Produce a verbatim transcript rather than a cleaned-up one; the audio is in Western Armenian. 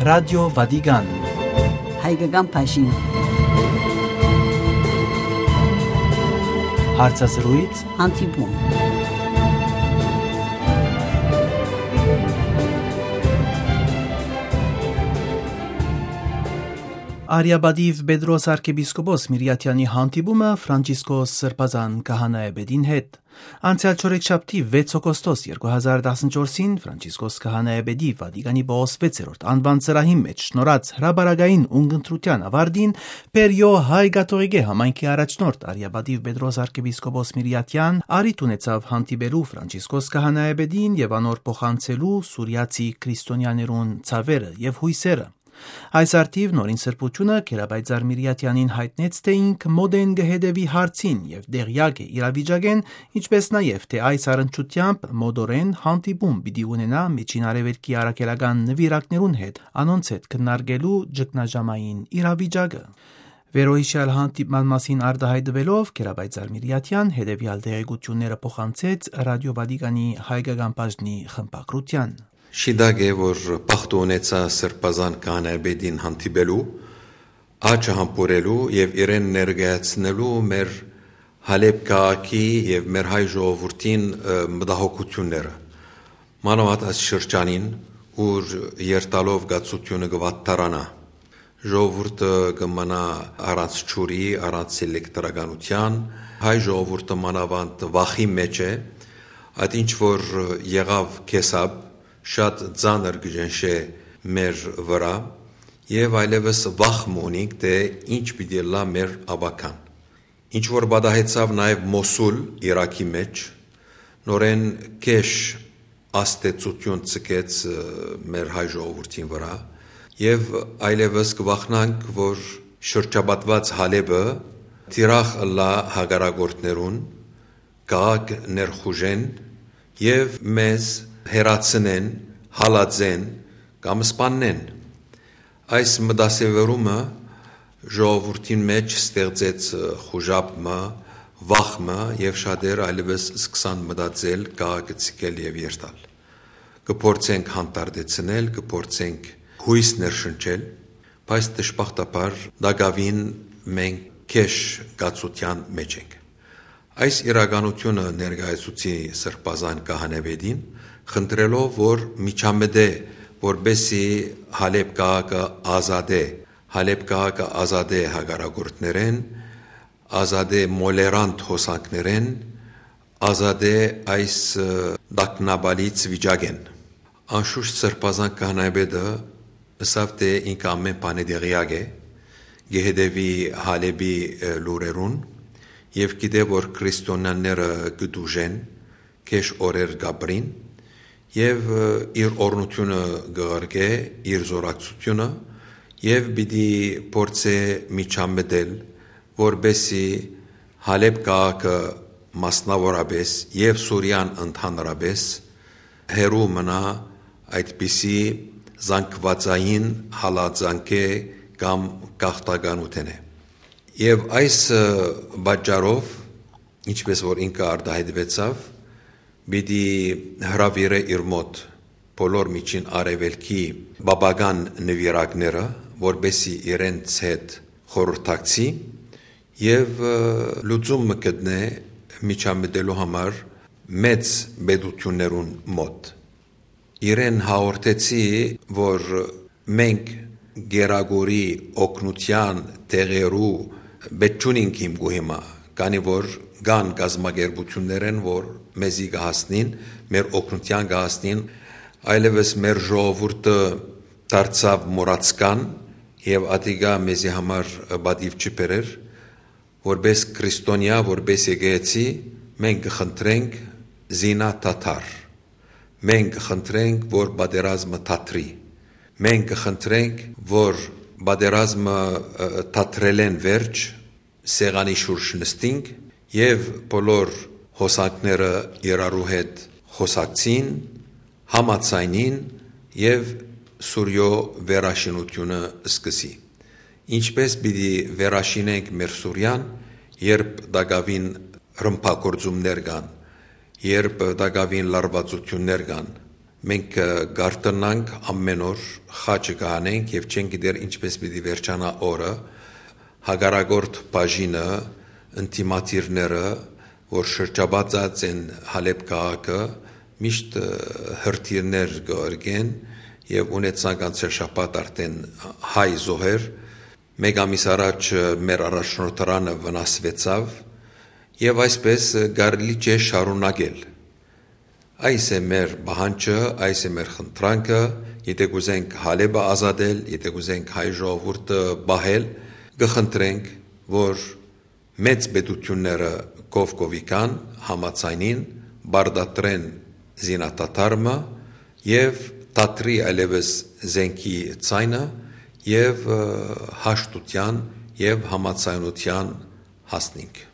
Ռադիո Վատիկան։ Հայկական բաժին։ Հարցազրույց։ Հանդիպում։ Արիապատիվ Պետրոս արքեպիսկոպոս Միրիաթեանի հանդիպումը Ֆրանցիսկոս Սրբազան քահանայապետին հետ։ Անցեալ չորեքշաբթի վեց օգոստոս երկու հազար տասնչորսին Ֆրանցիսկոս քահանայապետի Վատիկանի Պաուս վեցերորդ անուան ծրահին մէջ շնորհած հրապարակային ունգընտրութեան աւարտին Պերիո հայ կաթողիկէ համայնքի առաջնորդ արիապատիվ Պետրոս արքեպիսկոպոս Միրիաթեան առիթ ունեցաւ հանդիպելու Ֆրանցիսկոս քահանայապետին եւ անոր փոխանցելու սուրիացի քրիստոնեաներուն ցաւերը եւ յոյսերը։ Այս առթիւ Նորին Սրբութիւնը Գերապայծառ Միրիաթեանին յայտնեց, թէ ինք մօտէն կը հետեւի հարցին եւ տեղեակ է իրավիճակէն, ինչպէս նաեւ թէ այս առնչութեամբ մօտօրէն հանդիպում պիտի ունենայ Միջին Արեւելքի առաքելական նուիրակներուն հետ, անոնց հետ քննարկելու ճգնաժամային իրավիճակը։ Վերոյիշեալ հանդիպման մասին արտահայտուելով՝ Գերապայծառ Միրիաթեան հետեւեալ տեղեկութիւնները փոխանցեց Ռադիո Վատիկանի հայկական բաժնի խմբագրութեան։ Շիտակ է, որ բախտը ունեցայ Սրբազան քահանայապետին հանդիպելու, աջը համբուրելու եւ իրեն ներկայացնելու մեր Հալէպ քաղաքի եւ մեր հայ ժողովուրդին, ը, մտահոգութիւնները։ Մանաւանդ այս շրջանին, ուր երթալով կացութիւնը կը վատթարանայ, ժողովուրդը կը մնայ առանց ջուրի, առանց էլեկտրականութեան, հայ ժողովուրդը մանաւանդ վախի մէջ է, այդ ինչ որ եղաւ քեսապ, շատ ծանր կը ճնշէ մեր վրայ, եւ այլեւս վախ մը ունինք, թէ ինչ պիտի ըլլայ մեր ապագան։ Ինչ որ պատահեցաւ նաեւ Մոսուլ, Իրաքի մէջ, նորէն գէշ ազդեցութիւն ձգեց, ը, մեր հայ ժողովուրդին վրայ, եւ այլեւս կը վախնանք, որ շրջապատուած Հալէպը թիրախ ըլլայ հակառակորդներուն, քաղաքը ներխուժեն եւ մեզ հեռացնեն, հալածեն կամ սպաննեն։ Այս մտասեւեռումը ժողովուրդին մէջ ստեղծեց, ը, խուժապ մը, վախ մը, եւ շատեր այլեւս սկսան մտածել, քաղաքը ձգել եւ երթալ։ Կը փորձենք հանդարտեցնել, կը փորձենք յոյս ներշնչել, բայց դժբախտաբար տակաւին մենք գէշ կացութեան մէջ ենք։ Այս իրականութիւնը ներկայացուցի Սրբազան քահանայապետին, խնդրելով, որ միջամտէ, որպէսզի Հալէպ քաղաքը ազատէ, Հալէպ քաղաքը ազատէ հակառակորդներէն, ազատէ մոլերանտ հոսանքներէն, ազատէ այս, ը, տագնապալից վիճակէն։ Անշուշտ Սրբազան քահանայապետը ըսաւ, թէ ինքը ամէն բանի տեղեակ է, կը հետեւի Հալէպի, ը, լուրերուն եւ գիտէ, որ քրիստոնեաները կը տուժեն, գէշ օրեր կ'ապրին եւ, ը, իր օրհնութիւնը կը ղրկէ, իր զօրակցութիւնը, եւ պիտի փորձէ միջամտել, որպէսզի Հալէպ քաղաքը մասնաւորապէս եւ Սուրիան ընդհանրապէս հեռու մնայ այդպիսի զանգվածային հալածանքէ կամ գաղթականութենէ։ Եւ այս, ը, պատճառով, ինչպէս որ ինքը արտահայտուեցաւ, պիտի հրաւիրէ իր մօտ բոլոր Միջին Արեւելքի պապական նուիրակները, որպէսզի իրենց հետ խորհրդակցի եւ, ը, լուծում մը գտնէ միջամտելու համար մեծ պետութիւններուն մօտ։ Իրեն հաղորդեցի, որ մենք կերակուրի օգնութեան տեղերու պէտք չունինք հիմ գու հիմա, քանի որ կան կազմակերպութիւններէն, որ մեզի կը հասնին, մեր օգնութեան կը հասնին, այլեւս մեր ժողովուրդը դարձաւ մոռացկան եւ ատիկա մեզի համար պատիւ չի բերեր, որպէս քրիստոնեայ, որպէս եկեղեցի, մենք կը խնդրենք զինադադար, մենք կը խնդրենք, որ պատերազմը դադրի, մենք կը խնդրենք, որ պատերազմը, ը, դադրելէն վերջ սեղանի շուրջ նստինք եւ բոլոր հոսանքները իրարու հետ խոսակցին, համաձայնին եւ Սուրիոյ վերաշինութիւնը սկսի։ Ինչպէս պիտի վերաշինենք մեր Սուրիան, երբ տակաւին ռմբակոծումներ կան, երբ տակաւին լարուածութիւններ կան, Մենք կ'արթնանք ամէն օր, խաչը կ'անենք եւ չենք գիտեր ինչպես պիտի վերջանայ օրը։ Հակառակորդ բաժինը, ընդդիմադիրները, որ շրջապատած են Հալէպ քաղաքը, միշտ հրթիռներ կ'երգեն եւ ունեցանք անցեալ շաբաթ արդէն հայ զոհեր։ Մեկ ամիս առաջ մեր առաջնորդարանը վնասուեցաւ եւ այսպես կարելի չէ շարունակել։ Այս է մեր պահանջը, այս է մեր խնդրանքը, եթէ կ'ուզենք Հալէպը ազատել, եթէ կ'ուզենք հայ ժողովուրդը պահել, կը խնդրենք, որ մեծ պետութիւնները կով կովի կան, համաձայնին, պարտադրեն զինադադարը եւ դադրի այլեւս զէնքի ձայնը եւ հաշտութեան եւ համաձայնութեան հասնինք։